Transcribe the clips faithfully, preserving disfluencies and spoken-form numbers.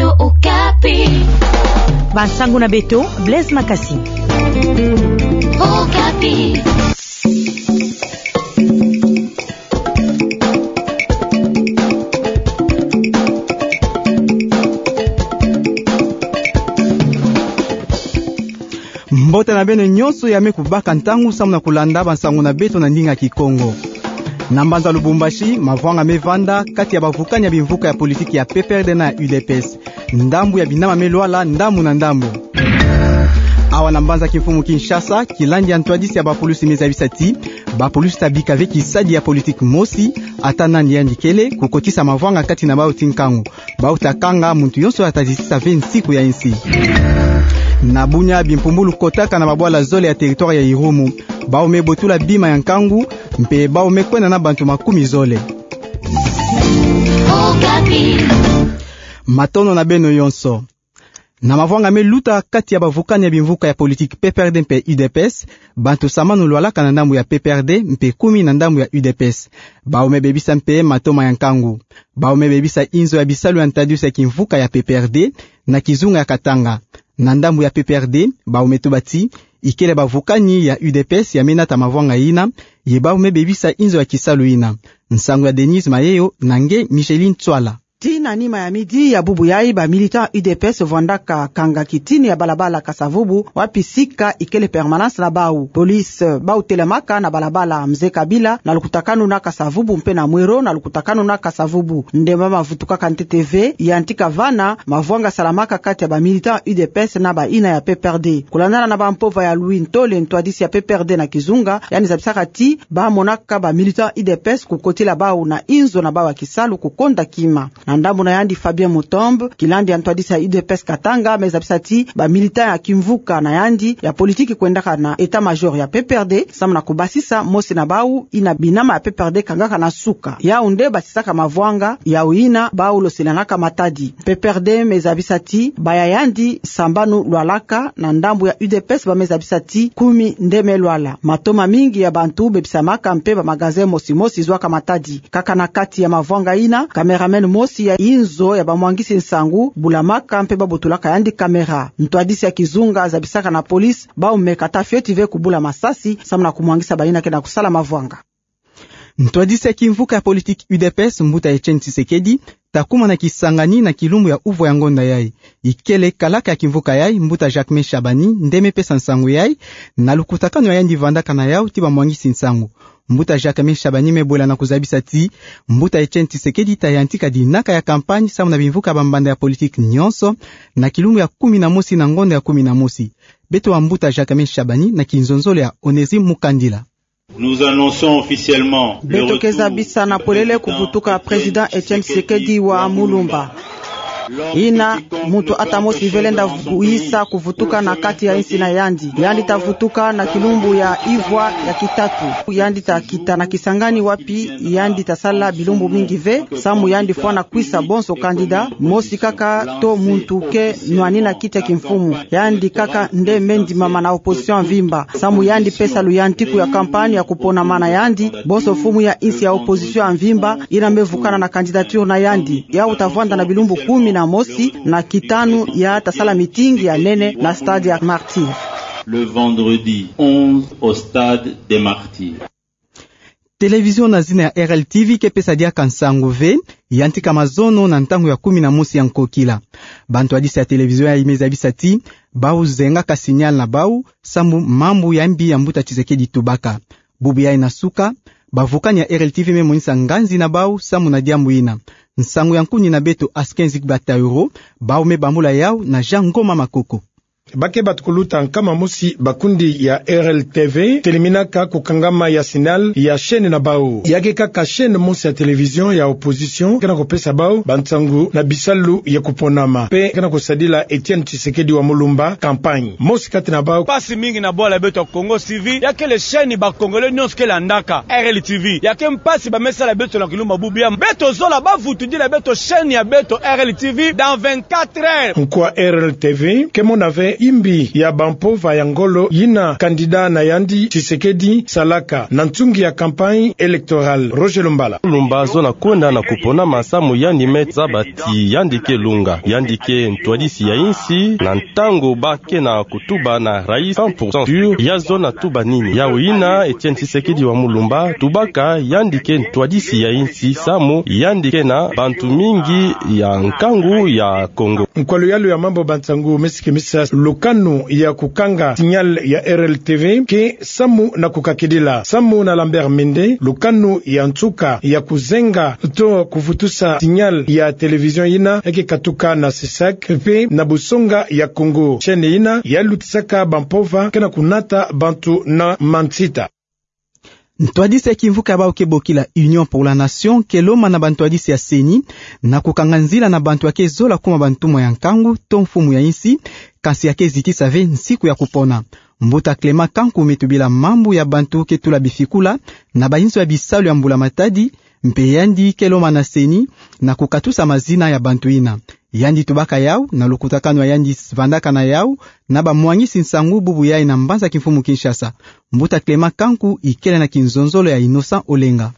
Okapi. Bansango na beto, Blaise Makasi. Okapi. Mbote na beno nyonso ya me kubaka ntangu samu na kulanda bansango na beto na ndinga Kikongo. Na mbanza Lubumbashi, mavwanga me vanda kati ya bavukani ya bimvuka ya politiki ya P P R D na ya U D P S. Ndambu ya binama me lwala ndambu na ndambu. Awa na mbanza kimfumu Kinshasa, kilandi ya ntwadisi ya bapulusi me zabisa ti bapulusi ta bika ve kisadi ya politiki mosi, ata nani yandi kele, kukotisa mavwanga kati na bau ti nkangu. Bau ta kanga muntu yonso ya ta zitisa ve nsiku ya insi. Na Bunia, bimpumbulu kotaka na babwala zole ya territoire ya Irumu. Bau me botula bima ya nkangu, mpe bau me kwenda na bantu makumi zole. Matondo na beno yonso. Na mavwanga me luta kati ya bavukani ya bimvuka ya politiki P P R D mpe U D P S, bantu sambanu lwalaka na ndambu ya P P R D mpe kumi na ndambu ya U D P S. Bau me bebisa mpe matoma ya nkangu. Bau me bebisa inzo ya bisalu ya ntwadisi ya kimvuka ya P P R D na kizunga ya Katanga. Na ndambu ya P P R D, bau me tuba ti ikele bavukani ya U D P S ya me nata mavwanga yina, ye bau me bebisa inzo ya kisalu yina. Nsangu ya Denise Mayeyo na nge Micheline Tswala. Tii na nima ya midi ya bubu yayi, ba militants U D P S vwandaka kanga kitini ya balabala Kasa-Vubu, wapi sika ikele permanence na bau. Police bau telamaka na balabala Mzee Kabila na lukutakanu na Kasa-Vubu mpe na Mwero na lukutakanu na Kasa-Vubu. Nde mama vutukaka ntete ve, yantika vana mavwanga salamaka kati ya ba militants U D P S na bayina ya P P R D. Kulandana na bampova ya Louis Ntole, ntwadisi ya P P R D na kizunga, yandi zabisaka ti ba monaka ba militants U D P S kukotila bau na inzo na bau ya kisalu kukonda kima. Na ndambu na yandi, Fabien Mutombo, kilandi ya ntwadisi ya U D P S Katanga, me zabisa ti ba militants ya kimvuka na yandi ya politiki kwendaka na état-major ya P P R D samu na kubasisa mosi na bau yina binama ya P P R D kangaka na suka. Yau nde basisaka mavwanga yau yina bau losilanaka matadi. P P R D me zabisa ti ba ya yandi sambanu lwalaka. Na ndambu ya U D P S, ba me zabisa ti kumi nde me lwala. Matoma mingi ya bantu bebisamaka mpe ba magasins mosi mosi zwaka matadi. Kaka na kati ya mavwanga yina, cameraman mosi ya inzo ya bamwangisi nsangu bulamaka mpe babotulaka yandi caméra. Ntwadisi ya kizunga zabisaka na police bau me kata fioti ve kubula masasi samu na kumwangisa bayina ke na kusala mavwanga. Ntwadisi ya kimvuka ya politiki U D P S, mbuta Etienne Tshisekedi, ta kuma na kisangani na kilumbu ya uvwa ya ngonda yayi. Ikele kalaka ya kimvuka yayi, mbuta Jacquemain Shabani, nde me pesa nsangu yayi na lukutakanu ya yandi vandaka na yau ti bamwangisi nsangu. Mbuta Jacquemain Shabani me bwela na kuzabisa ti mbuta Etienne Tshisekedi ta yantika dinaka ya campagne samu na bimvuka bambanda ya politiki nyonso na kilumbu ya kumi na mosi na ngonda ya kumi na mosi. Beto wa mbuta Jacquemain Shabani na kinzonzolo ya Onésime Mukandila. Nous annonçons officiellement le retour au pouvoir de Etienne Tshisekedi wa Mulumba. Beto ke zabisa na polele kuvutuka Président Etienne Tshisekedi wa Mulumba. Yina muntu ata mosi ve lenda vuyisa kuvutuka na kati ya insi na yandi. Yandi ta vutuka na kilumbu ya ivwa ya kitatu. Yandi ta kita na kisangani wapi yandi ta sala bilumbu mingi ve, samu yandi fwana kwisa bonso candidat, mosi kaka to muntu ke nwanina kiti ya kimfumu. Yandi kaka nde me ndimama na opposition mvimba, samu yandi pesa luyantiku ya campagne ya kuponama na yandi bonso mfumu ya insi ya opposition ya mvimba, yina me vukana na candidature na yandi. Yau ta vwanda na bilumbu kumi na mosi na kitanu ya ta sala meeting ya nene na stade ya Martyrs. Le vendredi onze au stade des Martyrs. Télévision na zina ya R L T V ke pesa diaka nsangu ve yantika mazono na ntangu ya kumi na mosi ya nkokila. Bantwadisi ya télévision yayi me zabisa ti bau zengaka signal na bau, samu mambu ya mbi ya mbuta Tshisekedi tubaka. Bubu yayi na suka, bavukani ya R L T V me monisa nganzi na bau samu na diambu yina. Nsangu ya nkuni na beto Askin Zigbatauro, bau me bambula yau na Jean Ngoma Makoko. Ba ke batukuluta nkama mosi bakundi ya R L T V, teleminaka kukangama ya signal ya chaîne na bau. Ya ke kaka chaîne mosi ya télévision ya opposition ke na kupesa bau bansangu na bisalu ya kuponama, mpe ke na kusadila Etienne Tshisekedi wa Mulumba campagne. Mosi kati na bau: mpasi mingi na bwala beto ya Kongo T V, ya kele chaîne ba Congolais nyonso ke landaka, R L T V. Ya ke mpasi ba me sala beto na kilumbu ya bubu yayi. Beto zola bavutudila beto chaîne ya beto R L T V dans vingt-quatre heures. Nkwa R L T V ke mona ve Imbi ya bampova ya ngolo yina candidat na yandi Tshisekedi salaka na ntungi ya campagne électorale. Roger Lumbala. Lumba zona kwenda na kuponama samu yandi me zaba ti yandi ke lunga, yandi ke ntwadisi ya insi, na ntangu ba ke na kutuba na rais cent pour cent sûr, ya zona tuba nini. Yawu yina Etienne Tshisekedi wa Mulumba tubaka yandi ke ntwadisi ya insi samu yandi ke na bantu mingi ya nkangu ya Congo. Nkwa luyalu ya mambu ba nsangu mesi ke misa lukanu ya kukanga signal ya R L T V ke samu na kukakidila. Samu na Lambert Mende, lukanu ya nsuka ya kuzenga to kuvutusa signal ya télévision yina ke katuka na CESAC mpe na busonga ya Congo. Chaîne yina ya lutisaka bampova ke na kunata bantu na mansita. Ntwadisi ya kimvuka ya bau ke bokila Union pour la Nation ke lomba na bantwadisi ya CENI na kukanga nzila na bantu ya ke zola kuma bantumwa ya nkangu to mfumu ya insi, kansi ya ke zitisa ve nsiku ya kupona. Mbuta Clément Kanku me tubila mambu ya bantu ke tula bifikula na bayinzo ya bisalu ya mbula matadi, mpe yandi ke lomba na CENI na kukatusa mazina ya bantu yina. Yandi tubaka yawu na lukutakanu ya yandi vandaka na yawu na bamwangisi nsangu bubu yayi na mbanza kimfumu Kinshasa. Mbuta Clément Kanku ikele na kinzonzolo ya Innocent Olenga.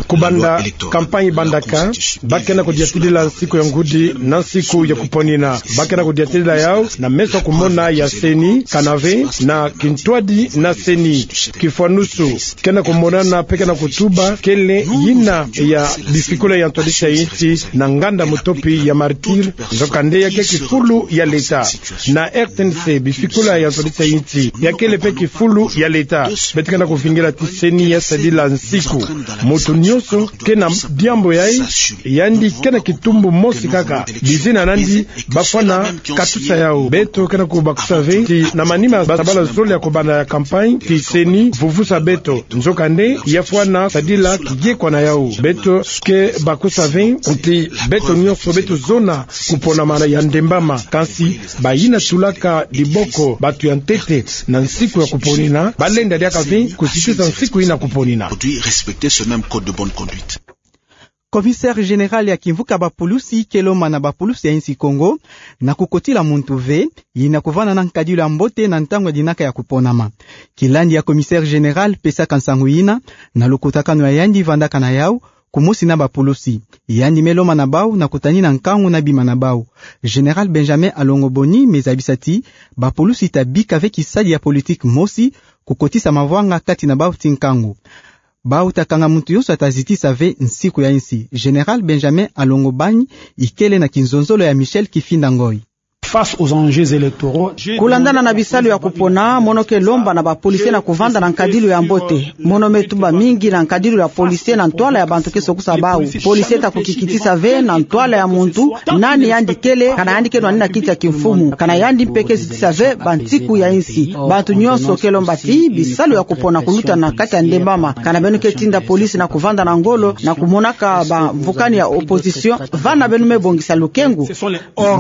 Kubanda campagne bandaka, ba ke na kudiatidila nsiku ya ngudi na nsiku ya kuponina. Ba ke na kudiatidila yawu na meso kumona ya CENI, kana ve na kintwadi na CENI. Kifwanusu, ke na kumonana mpe ke na kutuba kele yina ya bifikula ya ntwadisi ya insi na nganda mutopi ya Martyrs, nzokande ya ke kifulu ya leta. Na R T N C, bifikula ya ntwadisi ya insi ya kele mpe kifulu ya leta. Beto ke na kuvingila ti CENI ya sadila nsiku. Muntu nyonso ke na diambu yayi, yandi ke na kitumbu mosi kaka. Bizina nandi bafwana katusa yawu. Beto ke na kubakusa ve ti na manima ba sabala zole ya kubanda ya campagne ti CENI vuvusa beto. Nzokande ya fwana sadila kiyekwa na yawu. Beto ke bakusa ve ti beto nyonso beto zona kuponama ya ndembama. Kansi bayina tulaka diboko bantu ya ntete na nsiku ya kuponina, ba lenda diaka ve kuzitisa nsiku yina kuponina. Commissaire général ya kimvuka bapulusi ke lomba na bapulusi ya insi Congo na kukotila muntu ve, yina kuvanda na nkadilu ya mbote na ntangu ya dinaka ya kuponama. Kilandi ya commissaire général pesaka nsangu yina na lukutakanu ya yandi vandaka na yawu, kumosi na bapulusi. Yandi me lomba na bawu na kutanina nkangu na bima na bawu. Général Benjamin Alongo Boni me zabisa ti bapulusi ta bika ve kisadi ya politique mosi, kukotisa mavwanga kati na bawu ti nkangu. Bawu ta kanga muntu yonso ya ta zitisa ve nsiku ya insi. Général Benjamin Alongo Bani ikele na kinzonzolo ya Michel Kifinda Ngoi. Face aux enjeux électoraux, kulandana na bisalu ya kupona, mono ke lomba na ba policiers na kuvanda na nkadilu ya mbote. Mono me tuba mingi na nkadilu ya policiers na ntwala ya bantu ke sokusa bawu. Policier ta kukikitisa ve na ntwala ya muntu nani yandi kele, kana yandi ke nwanina kiti ya kimfumu, kana yandi mpe ke zitisa ve bansiku ya insi. Bantu nyonso ke lomba ti bisalu ya kupona kuluta na kati ya ndembama. Kana beno ke tinda police na kuvanda na ngolo na kumonaka bamvukani ya opposition, vana beno me bongisa lukengu.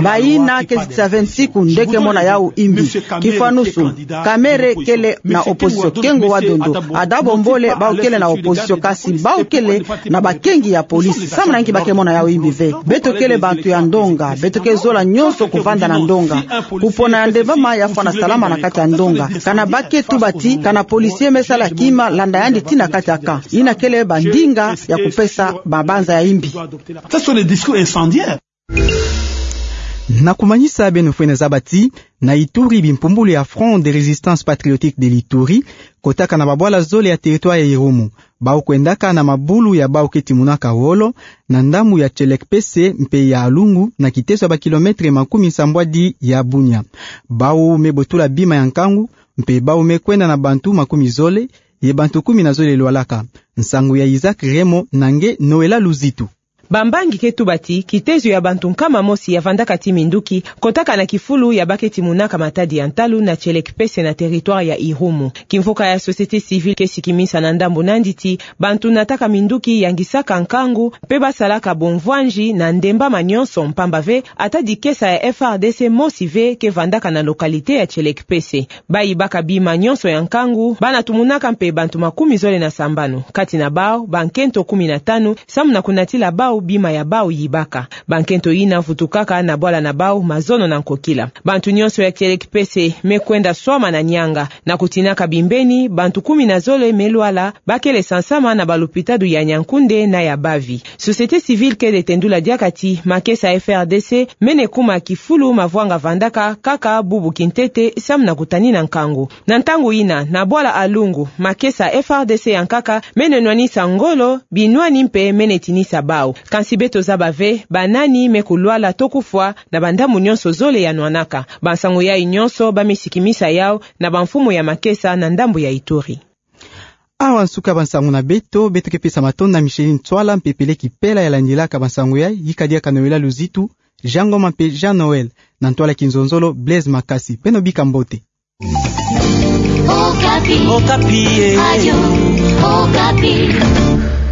Bayina ke zitisa ve nsiku nde ke mona yawu imbi. Kifwanusu, Kamerhe kele na opposition, Kengo wa Dondo, Ada Bombole, bawu kele na opposition, kasi bawu kele na bakengi ya police. Samu na nki ba ke mona yawu imbi ve? Beto kele bantu ya ndonga, beto ke zola nyonso kuvanda na ndonga. Kupona ya ndembama ya fwana salama na kati ya ndonga. Kana ba ke tuba ti kana policier me sala kima, landa yandi tii na kati ya camp. Yina kele bandinga ya kupesa mabanza ya imbi. Ce sont des discours incendiaires. Na kumanisa, beno fwene zaba ti na Ituri, bimpumbulu ya Front de Résistance Patriotique de l'Ituri kotaka na babwala zole ya territoire ya Irumu. Bawu kwendaka na mabulu ya bawu ke timunaka wolo na ndambu ya Tshelekpese mpe ya Alungu, na kiteso ya ba kilomètre makumi nsambwadi ya Bunia. Bawu me botula bima ya nkangu, mpe bawu me kwenda na bantu makumi zole, ye bantu kumi na zole lwalaka. Nsangu ya Isaac Remo na nge Noëlla Luzitu. Bambangi ke tuba ti kitezo ya bantu nkama mosi ya vandaka ti minduki kotaka na kifulu ya ba ke timunaka matadi ya ntalu na Tshelekpese na territoire ya Irumu. Kimvuka ya société civile ke sikimisa na ndambu nandi ti bantu nataka minduki yangisaka nkangu mpe basalaka bomvwanji na ndembama nyonso, mpamba ve ata dikesa ya F R D C mosi ve ke vandaka na localité ya Tshelekpese. Bayibaka bima nyonso ya nkangu, bana tumunaka mpe bantu makumi zole na sambanu, kati na bawu bankento kumi na tanu, samu na kunatila bawu bima ya bau yibaka. Bankento yina vutukaka na bwala na bau mazono na nkokila. Bantu nyonso ya kielekipese me kwenda swama na nianga. Na kutinaka bimbeni, bantu kumi na zole me lwala, bakele sansama na balupitadu ya Niankunde na ya Bavi. Société civile kele tendula diaka ti makesa F R D C mene kuma kifulu mavwanga vandaka kaka bubu kintete samu na kutanina nkangu. Na ntangu yina, na bwala Alungu, makesa F R D C ya nkaka mene nwanisa ngolo, binwani mpe mene tinisa bau. Kansi beto zaba ve banani me kulwala to kufwa na bandambu nyonso zole ya nwanaka. Bansangu yayi nyonso ba me sikimisa yau na bamfumu ya makesa na ndambu ya Ituri. Awa nsuka bansangu na beto, beto ke pesa matondo na Micheline Ntsoila mpe Pele Kipela ya landilaka bansangu yayi, yika diaka Noëlla Luzitu, Jean Ngoma mpe Jean Noël, na ntwala kinzonzolo Blaise Makasi. Beno bika mbote. Okapi. Okapi, eh. Radio Okapi.